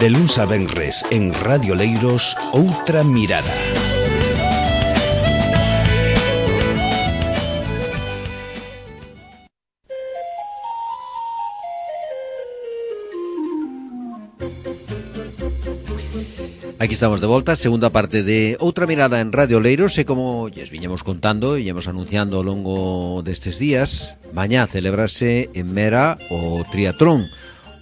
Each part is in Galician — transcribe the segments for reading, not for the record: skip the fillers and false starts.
De luns a venres en Radio Leiros, Outra Mirada. Aquí estamos de volta, segunda parte de Outra Mirada en Radio Leiros. E como lles viñemos contando e íamos anunciando ao longo destes días, mañá celebrase en Mera o Triatlón,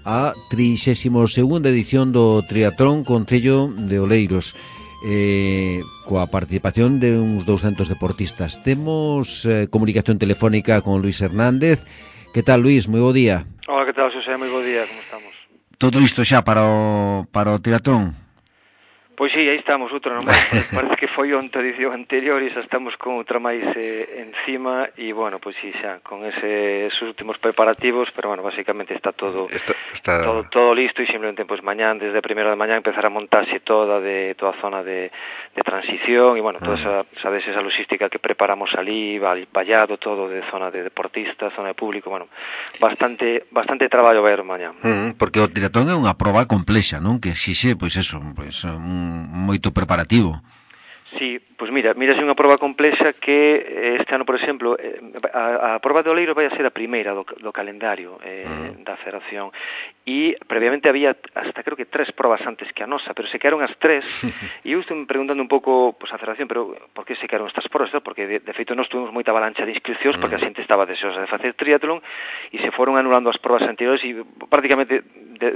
a 32ª edición do Triatlón Concello de Oleiros, coa participación de uns 200 deportistas. Temos comunicación telefónica con Luis Hernández. Que tal, Luis? Moi bo día. Hola, que tal, Xosé? Moi bo día, como estamos? Todo isto xa para o Triatlón? Pois sí, aí estamos, outra non máis. Parece que foi onta edición anterior e xa estamos con outra máis encima e, bueno, pois sí, xa, con esos últimos preparativos, pero, bueno, basicamente está todo listo e simplemente, pois, mañán, desde a primeira de mañán, empezar a montarse toda a zona de transición e, bueno, toda esa logística que preparamos ali, vallado todo de zona de deportistas, zona de público, bueno, bastante traballo vai haber mañán. Porque o triatlón é unha proba complexa, non? Que exixe, pois eso, pois moito preparativo. Sí, pois mira, é unha proba complexa que este ano, por exemplo, a proba de Oleiros vai a ser a primeira do calendario da federación e previamente había hasta creo que 3 probas antes que a nosa, pero se quedaron as 3 e eu estou me preguntando un pouco a federación, pero por que se quedaron estas probas? Porque de feito nós tuvimos moita avalancha de inscripcións porque a xente estaba deseosa de facer triatlón e se foron anulando as probas anteriores e prácticamente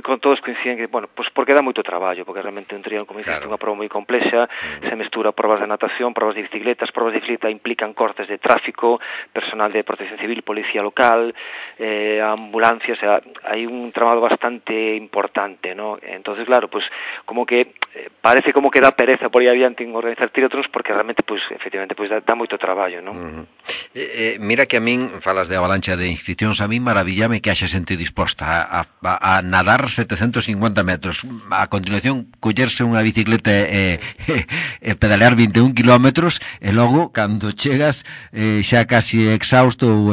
con todos coinciden que, bueno, pois porque dá moito traballo, porque realmente un triatlón, como dices, é unha proba moi complexa, se mestura probas de natación, probas de bicicletas, probas de bicicleta implican cortes de tráfico, personal de protección civil, policía local, ambulancias, o sea, hai un traballo bastante importante, ¿no? Entonces, claro, pues como que parece como que dá pereza por aí adiante en organizar triatlons porque realmente, pues, efectivamente, pues dá moito traballo, ¿no? Mira que a min, falas de avalancha de inscripcións, a min maravillame que haxa xente disposta a nadar 750 metros, a continuación collerse unha bicicleta e pedalear 21 kilómetros e logo, cando chegas xa casi exhausto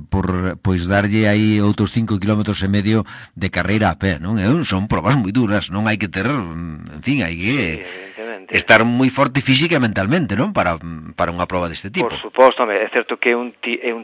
por pois darlle aí outros 5 kilómetros e medio de carreira a pé, non? Son probas moi duras, non hai que ter, en fin, hai que estar moi forte física e mentalmente, non? Para unha proba deste tipo. Por suposto, é certo que é un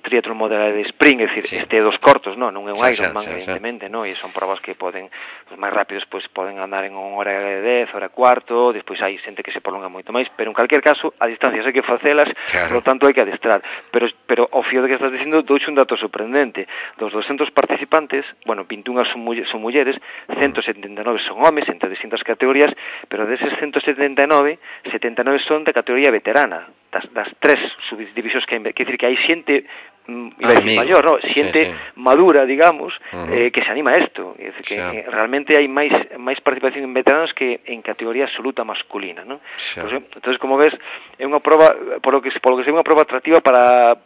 triatlón modelo de sprint, é dicir, este dos cortos, non é un Ironman, evidentemente, non? E son probas que poden, os máis rápidos, pois poden andar en 1 hora e 10, hora e cuarto, despois hai xente que se prolonga moito máis, pero en calquer caso, a distancias hai que facelas, por lo tanto hai que adestrar. Pero ao fío de que estás dicindo, douche un dato sorprendente. Dos 200 participantes, bueno, 21 son mulleres, 179 son homes, entre distintas categorías, pero deses 179, 79 son de categoría veterana, das 3 subdivisións que hai, que dicir que hai xente maior, no? Xente madura, digamos, que se anima a isto, é dicir, que realmente hai máis participación en veteranos que en categoría absoluta masculina, ¿no? Pues, entonces, como ves, é unha proba, polo que é unha proba atractiva para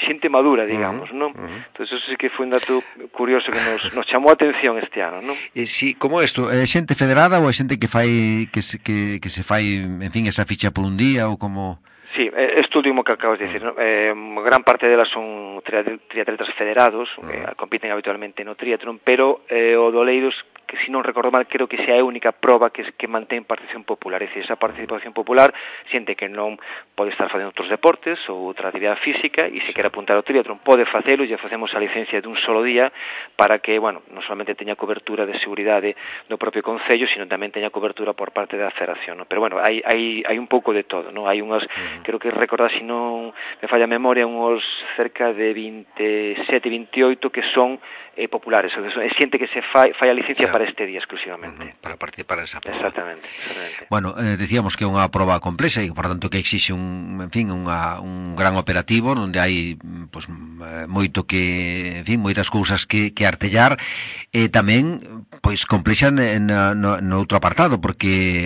xente madura, digamos, ¿no? Entonces, eso sí que foi un dato curioso que nos chamou a atención este ano, ¿no? Si, como isto, é xente federada ou é xente que fai que se fai, en fin, esa ficha por un día ou como... Sí, isto último que acabas de decir, ¿no? Gran parte delas son triatletas federados, compiten habitualmente no triatlón, pero o do Oleiros, que se non recordo mal, creo que xa é a única proba que mantén participación popular, é dicir, esa participación popular, xente que non pode estar facendo outros deportes ou outra actividade física e se quere apuntar ao triatlón pode facelo, e facemos a licencia dun solo día para que, bueno, non solamente teña cobertura de seguridade do propio concello, sino tamén teña cobertura por parte da federación, ¿no? Pero bueno, hai un pouco de todo, ¿no? Hai unhas, creo que recordar, se non me falla a memoria, uns cerca de 27, 28 que son populares, é xente que se fai a licencia para este día exclusivamente. Para participar en esa proba. Exactamente. Bueno, decíamos que é unha proba complexa e, por tanto, que exixe un gran operativo onde hai pues, moito que, en fin, moitas cousas que artellar e tamén pois complexa no outro apartado porque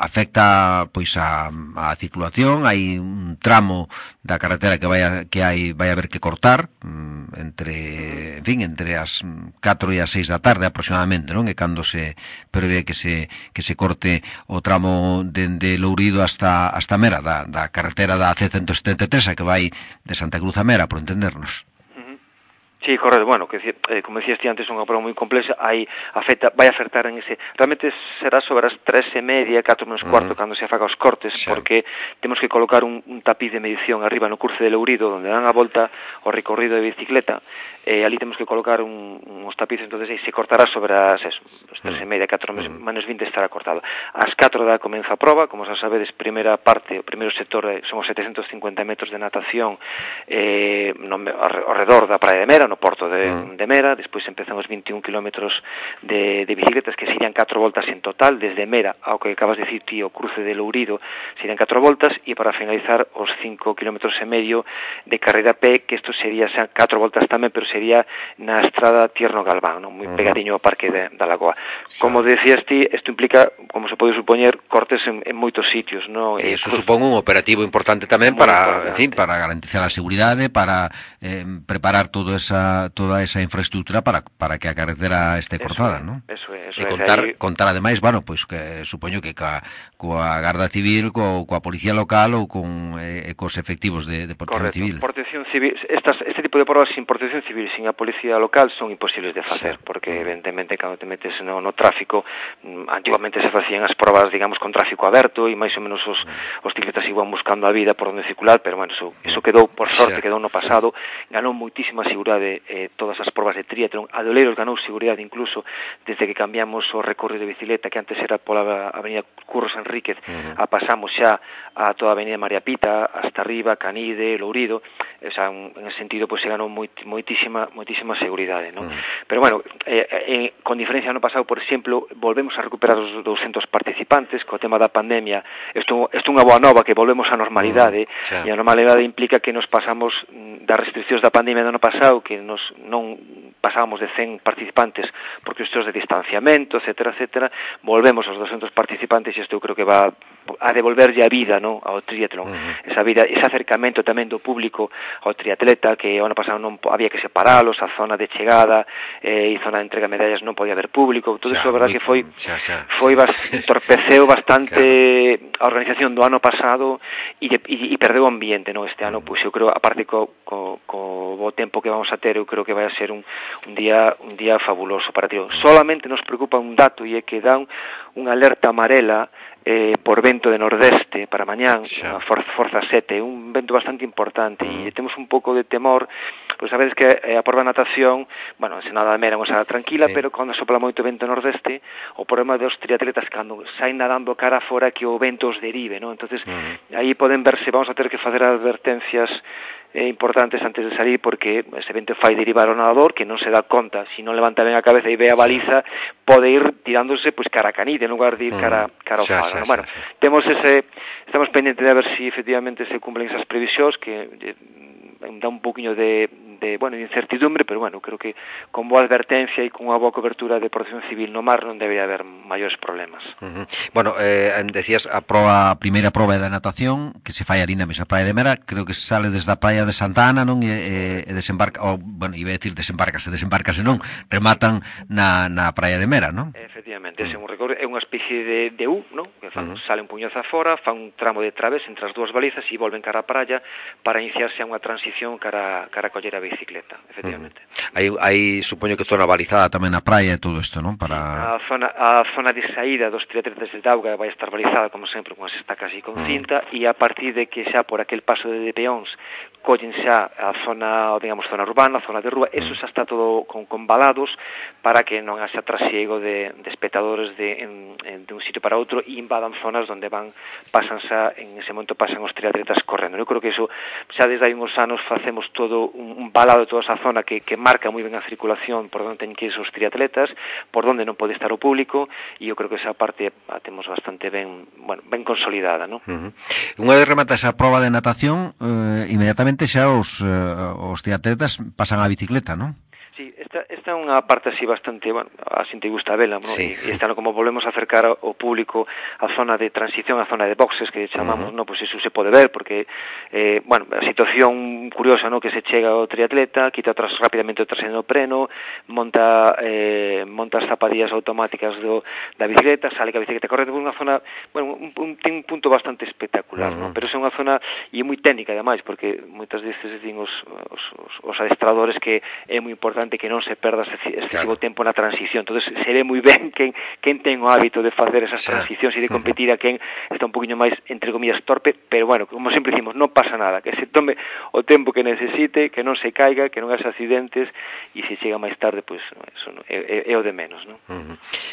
afecta pois a circulación, hai un tramo da carretera que vai haber que cortar entre as 4 e as 6 da tarde aproximadamente, non? E cando se prevé que se corte o tramo dende Lourido hasta Mera da carretera da C173 a que vai de Santa Cruz a Mera, por entendernos. Sí, correcto. Bueno, como decías ti antes, é unha prova moi complexa, vai afectar en ese... Realmente será sobre as 3:30, 4 menos cuarto, cando se faga os cortes, porque temos que colocar un tapiz de medición arriba no Curce de Lourido, onde dan a volta ao recorrido de bicicleta, ali temos que colocar uns tapices, entonces aí se cortará sobre as 3:30, 4 menos 20 estará cortado. Ás 4 da comeza a prova, como xa sabedes, primeira parte, o primeiro sector son os 750 metros de natación ao redor da Praia de Mera, no porto de Mera, despois empezan os 21 kilómetros de bicicletas, que serían 4 voltas en total, desde Mera ao que acabas de decir ti, o Cruce de Lourido, serían 4 voltas, e para finalizar os 5 kilómetros e medio de carreira a pé, que isto sería 4 voltas tamén, pero sería na estrada Tierno Galván, non? Moi pegadiño ao Parque da Lagoa. Como decías ti, isto implica, como se pode supoñer, cortes en moitos sitios, non? E iso supón un operativo importante tamén para, en fin, para garantizar a seguridade, para preparar toda esa infraestructura para que a carretera esté cortada, non? Eso é. E contar ademais, bueno, pois que supoño que coa Garda Civil, coa Policía Local ou cos efectivos de Protección Civil. Protección Civil, este tipo de provas sin Protección Civil, sin a Policía Local, son imposibles de facer, porque evidentemente cando te metes no tráfico, antigamente se facían as provas, digamos, con tráfico aberto, e máis ou menos os ciclistas iban buscando a vida por onde circular, pero bueno, eso quedou, por sorte, quedou no pasado. Ganou moitísima seguridade todas as provas de triatlón. A de Oleiros ganou seguridade incluso desde que cambiamos o recorrido de bicicleta, que antes era pola avenida Curros Enríquez, a pasamos xa a toda a avenida María Pita, hasta arriba, Canide, Lourido. O sea, en ese sentido, pues se ganou moitísima seguridade, non? Pero bueno, con diferencia no pasado, por exemplo, volvemos a recuperar os 200 participantes. Co tema da pandemia, isto é unha boa nova, que volvemos á normalidade, e a normalidade implica que nos pasamos das restriccións da pandemia do ano pasado, que non pasábamos de 100 participantes por cuestións de distanciamento, etcétera, volvemos aos 200 participantes, e isto eu creo que va a devolverlle a vida, non, ao triatlón, esa vida, ese acercamento tamén do público ao triatleta, que o ano pasado non había que separalos, a zona de chegada e zona de entrega de medallas non podía haber público, todo iso, a verdad que entorpeceu bastante a organización do ano pasado e perdeu o ambiente, non? Este ano, pois eu creo, aparte co tempo que vamos a ter, eu creo que vai a ser un día fabuloso para ti. Solamente nos preocupa un dato, e é que dan unha alerta amarela por vento de nordeste para mañán, a forza 7, un vento bastante importante, e temos un pouco de temor, pois sabedes que a prova de natación, bueno, en Senada de Mera é tranquila, pero cando sopla moito vento nordeste, o problema dos triatletas cando saen nadando cara fora, que o vento os derive, non? Entonces, aí poden verse, vamos a ter que facer advertencias importantes antes de salir, porque ese vento fai derivar o nadador, que non se dá conta, se non levanta ben a cabeza e ve a baliza, pode ir tirándose pois cara a Canide, en lugar de ir cara ao faro. Bueno, estamos pendentes de ver se efectivamente se cumplen esas previsións, que dá un poquinho de incertidumbre, pero bueno, creo que con boa advertencia e con unha boa cobertura de Protección Civil no mar non debería haber maiores problemas. Bueno, decías a primeira prova da natación, que se fai ali na mesma Praia de Mera, creo que sale desde a Praia de Santa Ana, non? E desembarca, iba a decir desembarcase non, rematan na Praia de Mera, non? Efectivamente, é unha especie de U, non? Que sale un puñazo afora, fan un tramo de través entre as dúas balizas e volven cara a praia para iniciarse a unha transición cara a coller a bicicleta, efectivamente. Hai supoño que zona balizada tamén na praia e todo isto, non? Para a zona de saída dos triatletas de auga vai estar balizada, como sempre, con as estacas e con cinta, e a partir de que xa por aquel paso de peóns collen xa a zona, digamos, zona urbana, zona de rúa, eso xa está todo con valados para que non haxa trasiego de espectadores de un sitio para outro e invadan zonas onde en ese momento pasan os triatletas correndo. Eu creo que eso xa desde hai uns anos facemos todo un balado de toda esa zona que marca moi ben a circulación por onde teñen que ir os triatletas, por onde non pode estar o público, e eu creo que esa parte a temos bastante ben consolidada, non? Unha vez remata esa prova de natación, inmediatamente xa os triatletas pasan á bicicleta, non? Sí, esta esta é unha parte así bastante, bueno, a xente gusta vela, ¿no? Sí. E esta, como volvemos a acercar ao público a zona de transición, a zona de boxes que chamamos, ¿no? Pues eso se pode ver, porque, bueno, a situación curiosa, ¿no? Que se chega ao triatleta, quita rapidamente o traseno preno, monta as zapadillas automáticas da bicicleta, sale que a bicicleta corre por unha zona, bueno, ten un punto bastante espectacular, ¿no? Pero é unha zona e é moi técnica, ademais, porque moitas veces din os adestradores que é moi importante que non se perda excesivo tempo na transición. Entonces, se ve moi ben quen ten o hábito de facer esas transicións e de competir a quen está un poquinho máis, entre comillas, torpe, pero bueno, como sempre dicimos, non pasa nada, que se tome o tempo que necesite, que non se caiga, que non haxa accidentes, e se chega máis tarde, pois, eso é o de menos, ¿no?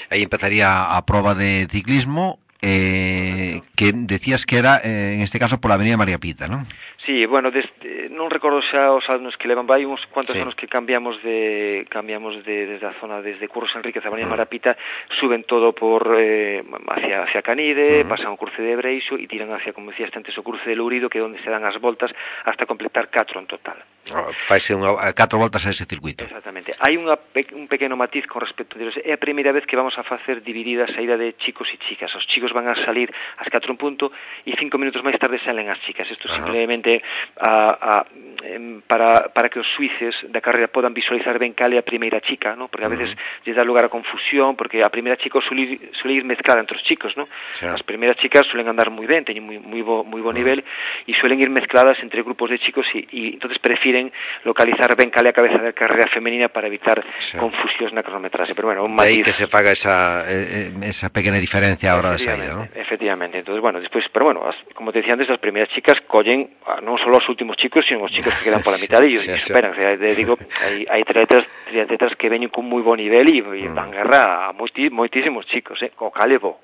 Aí empezaría a proba de ciclismo, que decías que era, en este caso, pola Avenida María Pita, ¿no? Sí, bueno, non recordo xa os anos que levan, vai uns cuantos anos que cambiamos desde a zona, desde Curros Enríquez a Avenida María Pita, suben todo por hacia Canide, pasan o cruce de Breixo e tiran hacia, como decías antes, o cruce de Lourido, que é onde se dan as voltas hasta completar 4 en total. Faise 4 voltas a ese circuito. Exactamente. Hai un pequeno matiz con respecto a é a primeira vez que vamos a facer dividida a saída de chicos e chicas. Os chicos van a salir ás 4 en punto e 5 minutos máis tarde salen as chicas. Isto simplemente para que os suíces da carreira podan visualizar ben cal é a primeira chica, ¿no? Porque a veces lles dá lugar a confusión, porque a primeira chica suele ir mezclada entre os chicos, ¿no? As primeiras chicas suelen andar moi ben, teñen moi bo nivel e suelen ir mezcladas entre grupos de chicos e entonces prefiren localizar ben cal é a cabeza da carreira femenina para evitar confusións na cronometrase. Pero bueno, un matiz. De aí que se faga esa pequena diferencia a hora de saída, ¿no? Efectivamente. Entonces, bueno, despois, pero bueno, como te decía antes, as primeiras chicas collen non só os últimos chicos, sino os chicos que quedan pola mitad e esperan. O sea, digo, hai triatletas que veñen con moi bo nivel e dan guerra a moitísimos chicos, o calevo.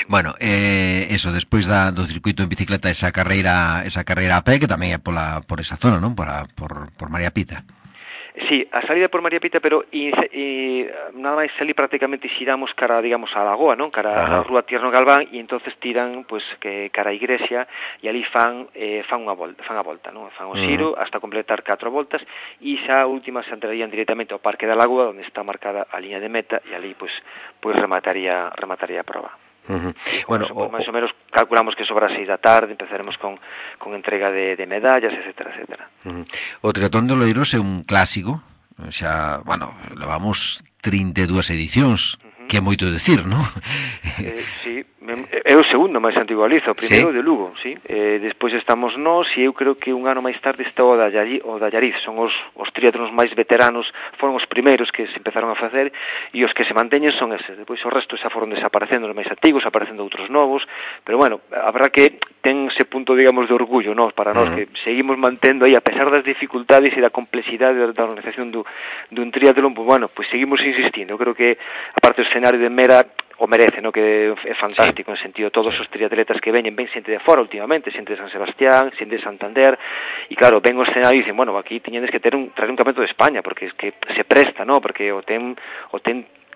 Bueno, eso, despois do circuito en bicicleta, esa carreira a pé, que tamén é por esa zona, non? Por María Pita. Sí, a salida por María Pita, pero nada máis salir prácticamente xiramos cara, digamos, a Lagoa, non? Cara a Rúa Tierno Galván e entonces tiran, pues, que cara a igrexa e ali fan a volta, non? Fan o xiro hasta completar 4 voltas e xa a última se entrarían directamente ao Parque da Lagoa, onde está marcada a liña de meta e ali, pues remataría a proba. Bueno, máis ou menos calculamos que sobre as 6 da tarde empezaremos con entrega de medallas, etcétera. O triatlón de Oleiros é un clásico, xa, bueno, levamos 32 edicións, que é moito decir, non? Sí, é o segundo máis antigo a Liza, o primeiro de Lugo, sí. Despois estamos nós e eu creo que un ano máis tarde está o da Allariz, son os triatlóns máis veteranos, foron os primeiros que se empezaron a facer e os que se manteñen son eses. Depois o resto xa foron desaparecendo os máis antigos, aparecendo outros novos, pero bueno, habrá que ten ese punto, digamos, de orgullo, ¿no? Para nós que seguimos mantendo aí, a pesar das dificultades e da complexidade da organización dun triatlón, pues bueno, pues seguimos insistindo. Eu creo que aparte do escenario de Mera o merece, ¿no? Que é fantástico, en sentido, todos os triatletas que veñen xente de fora últimamente, xente de San Sebastián, xente de Santander, e claro, ven o escenario e dicen, bueno, aquí tiñedes que traer un campeonato de España, porque es que se presta, ¿no? Porque o ten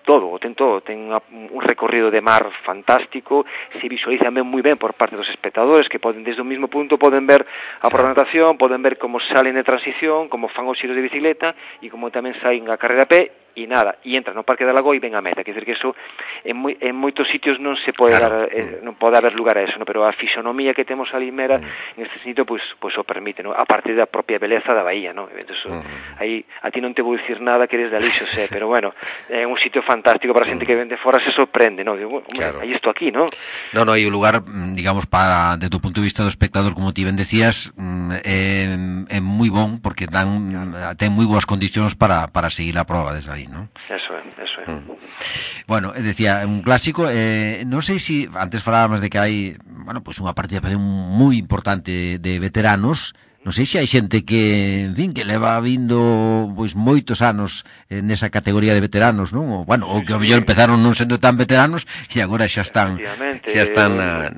todo, ten un recorrido de mar fantástico, se visualiza moi ben por parte dos espectadores que poden desde o mismo punto poden ver a programación, poden ver como salen de transición, como fan os xiros de bicicleta e como tamén saen a carreira a pé e nada, e entra no Parque da Lagoa e ven a meta, quer dizer que eso en moitos sitios non se pode dar, non pode haber lugar a eso, ¿no? Pero a fisonomía que temos ali en Mera en este sitio pues o permite, ¿no? A parte da propia beleza da bahía, ¿no? Entonces, aí a ti non te vou dicir nada que eres de ali, xo sé, pero bueno, é un sitio fantástico para a xente que ven de fora, se sorprende, ¿no? Digo, aí isto aquí, ¿no? No, hai un lugar, digamos, para, desde o punto de vista do espectador, como ti ben decías, é moi bon, porque ten moi boas condicións para seguir a prova desde ali, ¿no? Eso é. Bueno, decía, un clásico, non sei se antes falábamos de que hai, bueno, pues unha participación moi importante de veteranos. Non sei se hai xente que, en fin, que leva vindo pois moitos anos nesa categoría de veteranos, non? Ou, bueno, ou que ao mellor empezaron non sendo tan veteranos e agora xa están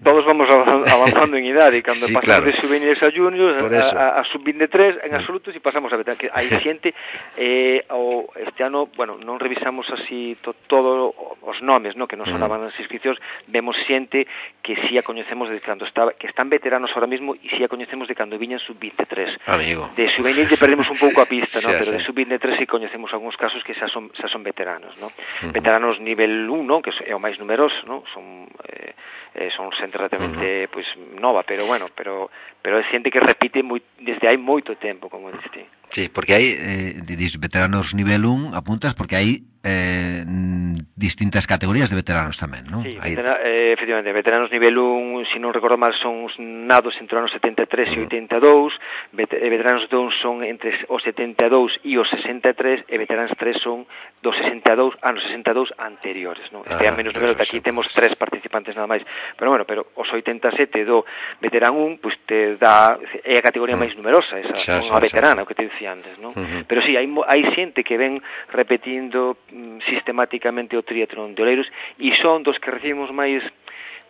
todos vamos avanzando en idade, cando pasamos de sub-23 a juniors, a sub-23 en absoluto, e pasamos a veteranos, que hai xente este ano, bueno, non revisamos así todo os nomes, no, que non sonaban nas inscripcións, vemos xente que si a coñecemos de cando estaba, que están veteranos ahora mismo e si a coñecemos de cando viñan sub-23. Amigo. De sub-20 perdemos un pouco a pista, no, pero de sub-23 si coñecemos algúns casos que xa son veteranos, no. Veteranos nivel 1, que é o máis numeroso, no, son xente relativamente pois nova, pero bueno, pero é xente que repite desde hai moito tempo, como diste. Sí, porque hai veteranos nivel 1, apuntas, porque hai distintas categorías de veteranos tamén, non? Sí, efectivamente, veteranos nivel 1, se non recordo mal, son os nados entre os anos 73 e 82, veteranos 2 son entre os 72 e os 63, e veteranos 3 son dos 62 anos 62 anteriores, non? Este é menos número, aquí temos 3 participantes nada máis, pero bueno, pero os 87 do veterán 1, pois te dá, é a categoría máis numerosa, esa, unha veterana, o que te dicía antes, non? Pero sí, hai xente que ven repetindo sistemáticamente o triatlón de Oleiros e son dos que recibimos máis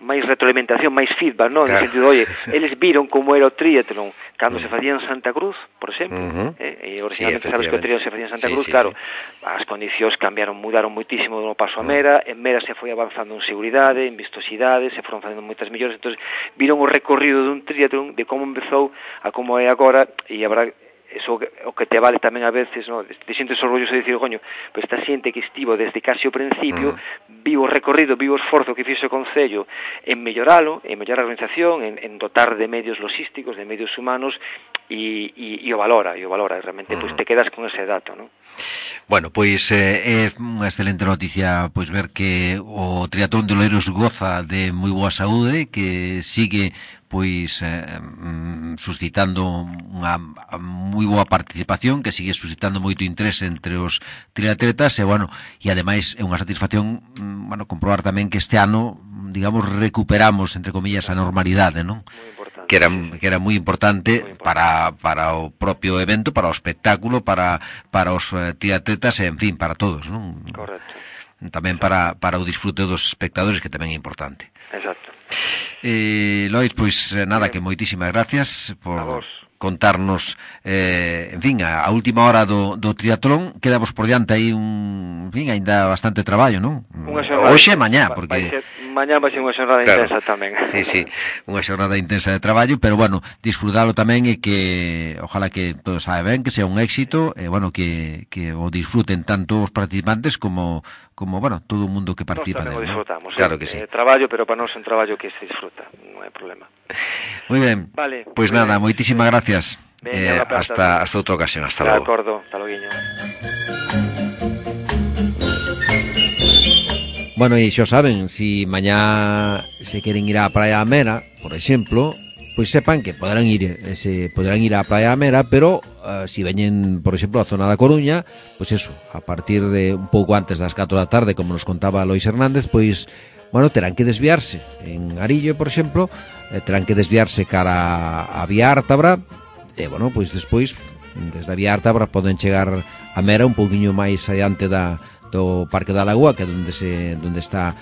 retroalimentación, máis feedback, non? Claro. No sentido, oye, eles viron como era o triatlón cando se facía en Santa Cruz, por exemplo, e originalmente sabes que o triatlón se facía en Santa Cruz, claro, as condicións mudaron moitísimo do paso a Mera, en Mera se foi avanzando en seguridade, en vistosidade, se foron facendo moitas mellores, entón viron o recorrido dun triatlón, de como empezou a como é agora, e a verdade, eso o que te vale tamén a veces, no, te sientes orgulloso de dicir, coño, pues esta xente que estivo desde casi o principio, viu o recorrido, viu o esforzo que fixo o Concello en melloralo, en mellorar a organización, en dotar de medios logísticos, de medios humanos, e o valora, realmente, pues te quedas con ese dato, non? Bueno, pois é unha excelente noticia pois ver que o triatlón de Oleiros goza de moi boa saúde, que sigue pois suscitando unha moi boa participación, que sigue suscitando moito interés entre os triatletas, e bueno, e ademais é unha satisfacción, bueno, comprobar tamén que este ano, digamos, recuperamos entre comillas a normalidade, non? Que era moi importante para o propio evento, para o espectáculo, para os triatletas, en fin, para todos, non? Correcto. Tamén para o disfrute dos espectadores, que tamén é importante. Exacto. Lois, pois nada, que moitísimas gracias por contarnos, en fin, a última hora do triatlón. Quedamos por diante aí en fin, ainda bastante traballo, non? Hoxe e mañá, porque mañá vai ser unha xornada intensa tamén. Sí, unha xornada intensa de traballo, pero bueno, disfrutalo tamén, e que ojalá que todo saia ben, que sea un éxito, e bueno, que o disfruten tanto os participantes como bueno, todo o mundo que participa. Nós tamén o disfrutamos, claro que sí. Traballo, pero para nós é un traballo que se disfruta, non hai problema. Moi ben, vale, pois nada, moitísimas gracias. Hasta outra ocasión, hasta logo. De acordo, hasta loguiño. Bueno, e xa saben, si mañá se queren ir á Praia a Mera, por exemplo, pois sepan que poderán ir á Praia a Mera, pero si veñen, por exemplo, a zona da Coruña, pois eso, a partir de un pouco antes das 4 da tarde, como nos contaba Lois Hernández, pois, bueno, terán que desviarse. En Arillo, por exemplo, terán que desviarse cara a Vía Ártabra, e, bueno, pois despois, desde a Vía Ártabra, poden chegar a Mera un pouquiño máis adiante do Parque da Lagoa, que é onde está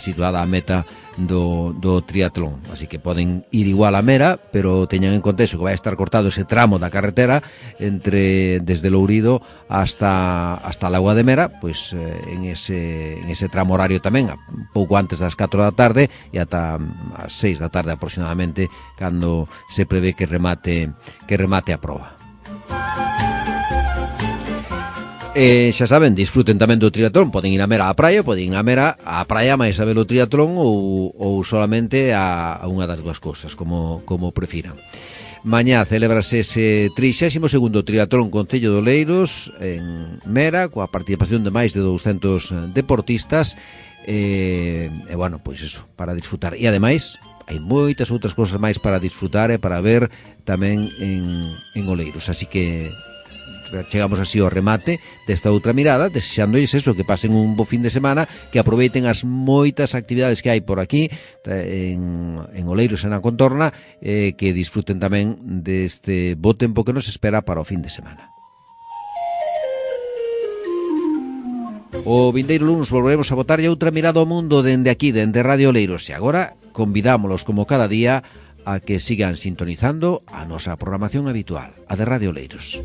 situada a meta do triatlón. Así que poden ir igual a Mera, pero teñan en conta eso, que vai estar cortado ese tramo da carretera desde Lourido hasta a Lagoa de Mera, pois en ese tramo horario tamén, un pouco antes das 4 da tarde e ata as 6 da tarde aproximadamente, cando se prevé que remate a proba. Xa saben, disfruten tamén do triatlón. Poden ir a Mera á praia, poden ir a Mera á praia máis a ver o triatlón, ou solamente a unha das dúas cousas, como prefiran. Mañá celébrase ese 32º triatlón Concello de Oleiros en Mera, coa participación de máis de 200 deportistas, e bueno, pois eso, para disfrutar. E ademais hai moitas outras cousas máis para disfrutar e para ver tamén en Oleiros, así que chegamos así ao remate desta outra mirada, desexándoles eso, que pasen un bo fin de semana, que aproveiten as moitas actividades que hai por aquí en Oleiros e na contorna, que disfruten tamén deste bo tempo que nos espera para o fin de semana. O vindeiro luns volveremos a botarlle outra mirada ao mundo dende aquí, dende Radio Oleiros, e agora convidámolos como cada día a que sigan sintonizando a nosa programación habitual, a de Radio Oleiros.